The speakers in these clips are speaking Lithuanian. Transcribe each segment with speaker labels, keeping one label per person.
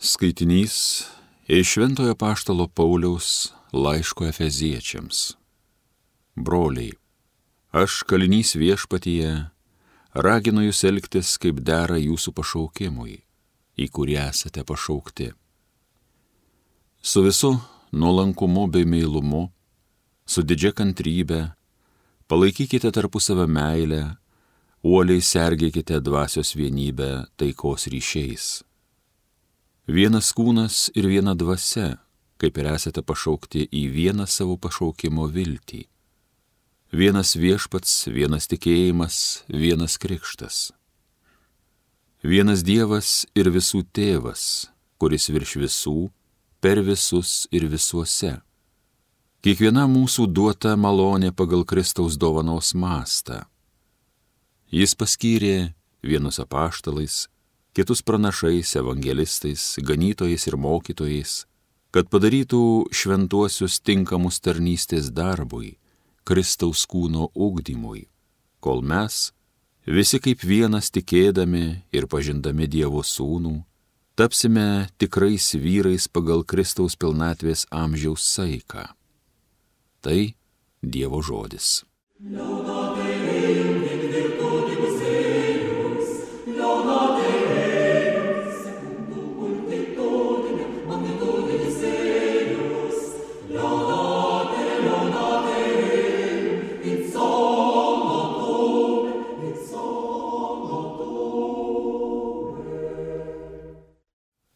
Speaker 1: Skaitinys iš Šventojo apaštalo Pauliaus laiško Efeziečiams. Broliai, aš kalinys viešpatyje, raginu jūs elgtis, kaip dera jūsų pašaukimui, į kurį esate pašaukti. Su visu nuolankumu bei meilumu, su didžia kantrybe, palaikykite tarpusavio meilę, uoliai sergėkite dvasios vienybę taikos ryšiais. Vienas kūnas ir viena dvasia, kaip ir esate pašaukti į vieną savo pašaukimo viltį. Vienas viešpats, vienas tikėjimas, vienas krikštas. Vienas Dievas ir visų tėvas, kuris virš visų, per visus ir visuose. Kiekviena mūsų duota malonė pagal Kristaus dovanos mastą. Jis paskyrė vienus apaštalais, kitus pranašais, evangelistais, ganytojais ir mokytojais, kad padarytų šventuosius tinkamus tarnystės darbui, Kristaus kūno ugdymui, kol mes, visi kaip vienas tikėdami ir pažindami Dievo sūnų, tapsime tikrais vyrais pagal Kristaus pilnatvės amžiaus saiką. Tai Dievo žodis.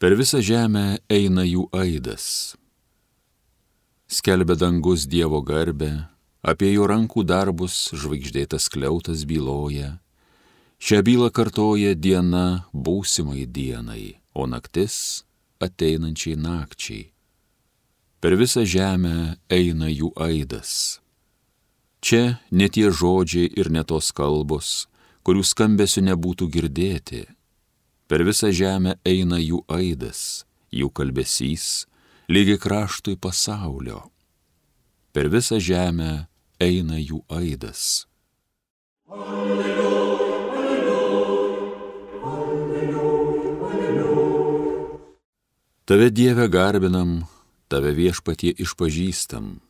Speaker 1: Per visą žemę eina jų aidas. Skelbia dangus Dievo garbę, apie jo rankų darbus žvaigždėtas skliautas byloja. Šią bylą kartoja diena būsimai dienai, o naktis ateinančiai nakčiai. Per visą žemę eina jų aidas. Čia ne tie žodžiai ir ne tos kalbos, kurių skambesių nebūtų girdėti. Per visą žemę eina jų aidas, jų kalbesys, lygiai kraštui pasaulio. Per visą žemę eina jų aidas. Alleluja, alleluja, alleluja, alleluja. Tave Dieve garbinam, tave viešpatie išpažįstam,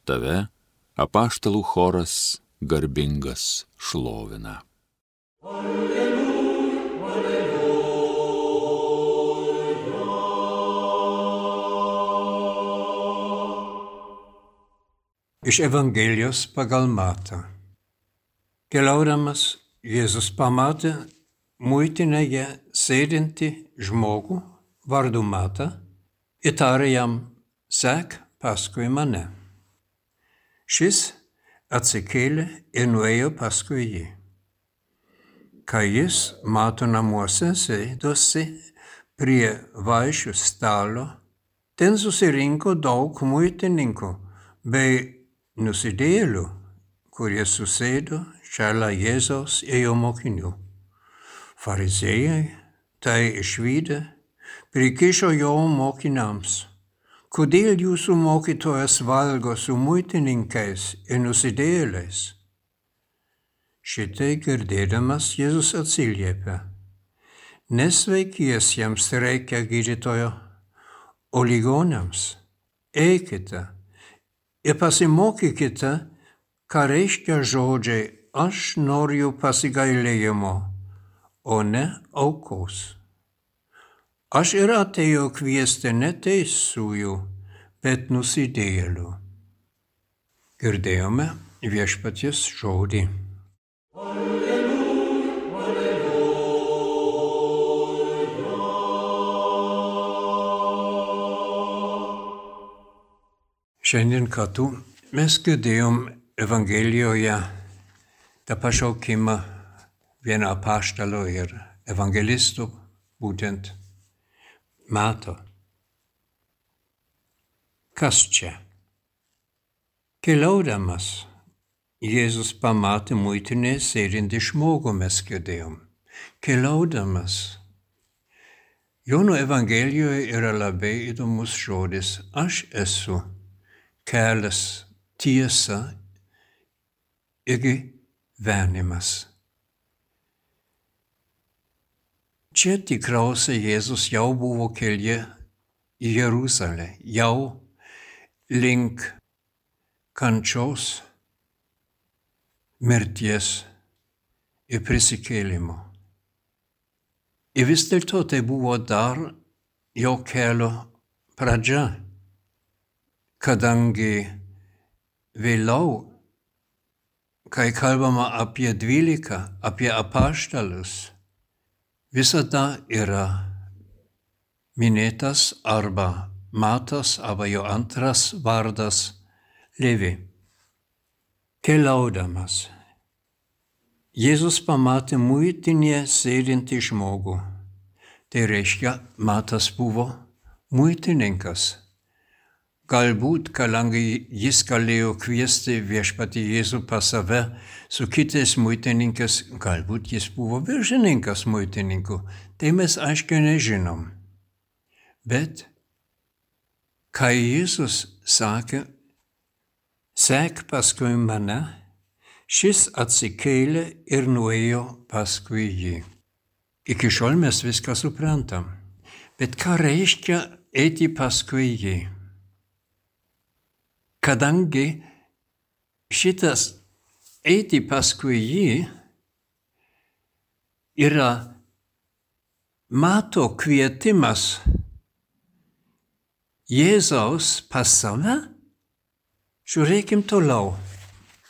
Speaker 1: tave apaštalų choras garbingas šlovina. Alleluja.
Speaker 2: Iš Evangelijos pagal Matą. Keliaudamas Jėzus pamatė muitinėje sėdintį žmogų vardu Matą ir tarė jam: sek paskui mane. Šis atsikėlė ir nuėjo paskui jį. Kai jis Mato namuose sėdosi prie vaišių stalo, ten susirinko daug muitininkų bei nusidėjėlių, kurie susėdo šalia Jėzaus ir jo mokinių. Fariziejai tai išvydę prikišo jo mokiniams: kodėl jūsų mokytojas valgo su muitininkais ir nusidėjėliais? Šitai girdėdamas Jėzus atsiliepė: nesveikiesiems reikia gydytojo, o ligoniams. Eikite ir pasimokykite, ką reiškia žodžiai: aš noriu pasigailėjimo, o ne aukos. Aš ir atėjau kviesti ne teisiųjų, bet nusidėjėlių. Girdėjome viešpaties žodį. Alleluja, alleluja. Šiandien kartu mes girdėjom Evangelijoje tą pašaukimą vieno apaštalo ir evangelisto, būtent Mato. Kas čia? Keliaudamas Jėzus pamatė muitinėje sėdintį žmogų, mes girdėjom. Keliaudamas. Jono Evangelijoje yra labai įdomus žodis: aš esu kelias, tiesa ir gyvenimas. Čia tikriausiai Jėzus jau buvo kelyje į Jeruzalę, jau link kančios, mirties ir prisikėlimo. Ir vis dėlto tai buvo dar jo kelio pradžia, kadangi vėliau, kai kalbama apie 12, apie apaštalus, visada yra minėtas arba Matas, arba jo antras vardas Levi. Keliaudamas, Jėzus pamatė muitinėje sėdintį žmogų. Tai reiškia, Matas buvo muitininkas. Galbūt, kadangi jis galėjo kviesti viešpatį Jėzų pas save su kitais muitininkais, galbūt jis buvo viršininkas muitininkų. Tai mes aiškiai nežinom. Bet, kai Jėzus sakė, sek paskui mane, šis atsikėlė ir nuėjo paskui jį. Iki šiol mes viską suprantam. Bet ką reiškia eiti paskui jį? Kadangi šitas eiti paskui jį yra Mato kvietimas Jėzaus pas save, žiūrėkim toliau.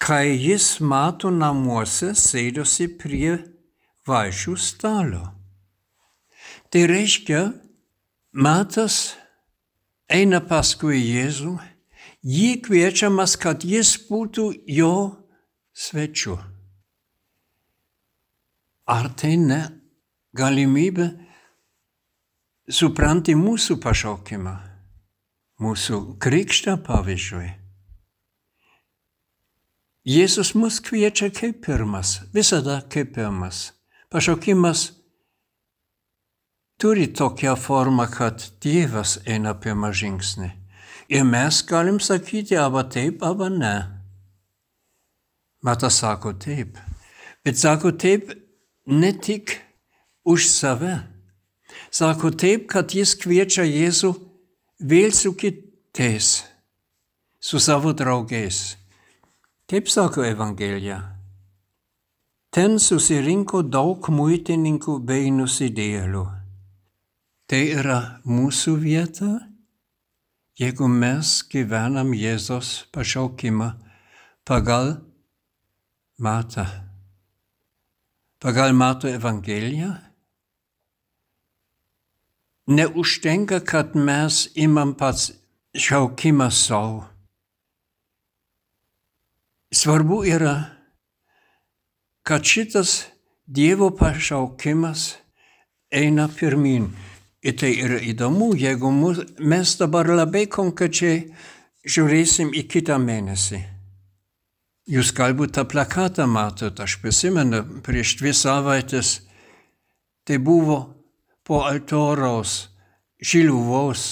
Speaker 2: Kai jis Mato namuose sėdosi prie vaišių stalo. Tai reiškia, Matas eina paskui Jėzų, jį kviečiamas, kad jis būtų jo svečiu. Ar tai ne galimybė supranti mūsų pašaukimą, mūsų krikštą pavyzdžiui? Jėzus mus kviečia kaip pirmas, visada kaip pirmas. Pašaukimas turi tokią formą, kad Dievas eina pirmą žingsnį. Ir mes galim sakyti, arba taip, arba ne. Matas sako taip. Bet sako taip ne tik už save. Sako taip, kad jis kviečia Jėzų vėl su kitais, su savo draugais. Taip sako Evangelija. Ten susirinko daug muitininkų bei nusidėjėlių. Tai yra mūsų vieta, jeigu mes gyvenam Jėzos pašaukimą pagal Matą. Pagal Mato Evangeliją. Neužtenka, kad mes imam pats šaukimą savo. Svarbu yra, kad šitas Dievo pašaukimas eina pirmin. Ir tai yra įdomu, jeigu mes dabar labai konkrečiai žiūrėsim į kitą mėnesį. Jūs galbūt tą plakatą matot, aš prisimenu, prieš 2 savaitės, tai buvo po altoriaus Šiluvos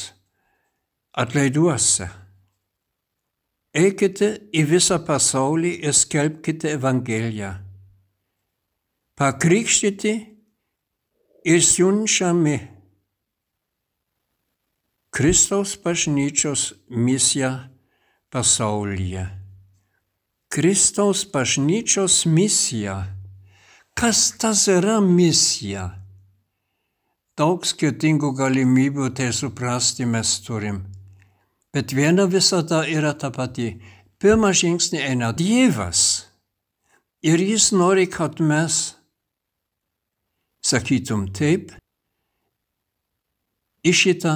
Speaker 2: atlaiduose. Eikite į visą pasaulį ir skelbkite Evangeliją. Pakrikštyti ir siunčiami. Kristaus bažnyčios misija pasaulyje. Kristaus bažnyčios misija. Kas tas yra misija? Daug skirtingų galimybių tai suprasti mes turim. Bet viena visada yra ta pati. Pirmą žingsnį eina Dievas. Ir jis nori, kad mes sakytum taip į šitą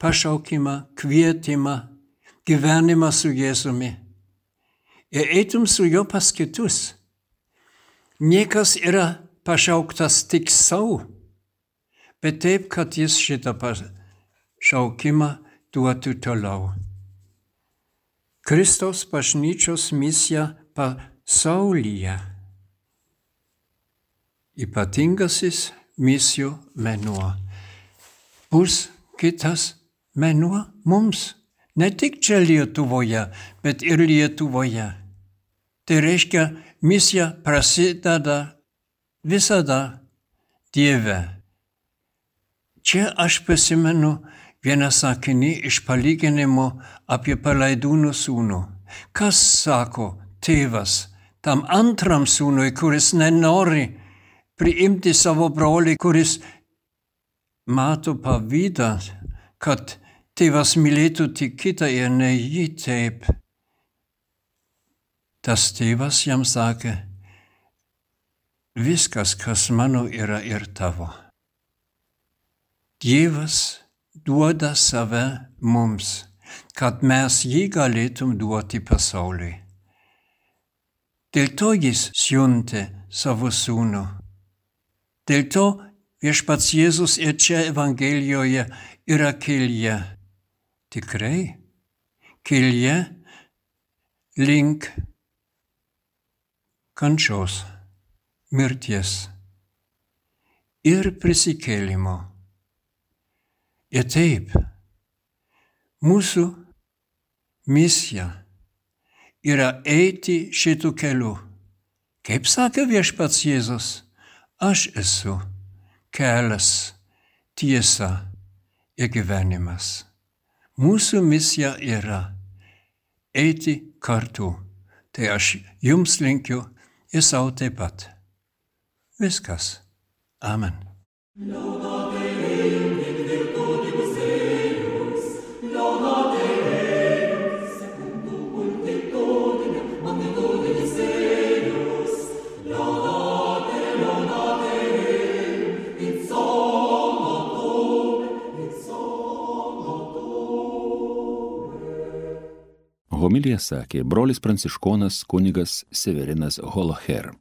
Speaker 2: pašaukimą, kvietimą, gyvenimą su Jėzumi. Ir eitum su juo pas kitus. Niekas yra pašauktas tik savo, bet taip, kad jis šitą pašaukimą duotų toliau. Kristaus bažnyčios misija pasaulyje. Ypatingasis misijų mėnuo. Bus kitas mėnuo mums. Ne tik čia Lietuvoje, bet ir Lietuvoje. Tai reiškia, misija prasideda visada Dieve. Čia aš prisimenu vieną sakinį iš palyginimo apie palaidūnų sūnų. Kas sako tėvas tam antram sūnui, kuris nenori priimti savo brolį, kuris mato pavydą, kad tėvas mylėtų tik kitą ir ne jį taip. Tas tėvas jam sakė, viskas, kas mano, yra ir tavo. Dievas duoda save mums, kad mes jį galėtum duoti pasauliui. Dėl to jis siuntė savo sūnų. Dėl to viešpats Jėzus ir čia Evangelijoje yra kelyje. Tikrai, kelyje link kančios, mirties ir prisikėlimo. Ir taip, mūsų misija yra eiti šitų kelių. Kaip sakė viešpats Jėzus, aš esu kelias, tiesa ir gyvenimas. Mūsų misija yra eiti kartu. Tai aš jums linkiu ir savo taip pat. Viskas. Amen.
Speaker 1: Homiliją sakė brolis pranciškonas kunigas Severinas Holoher.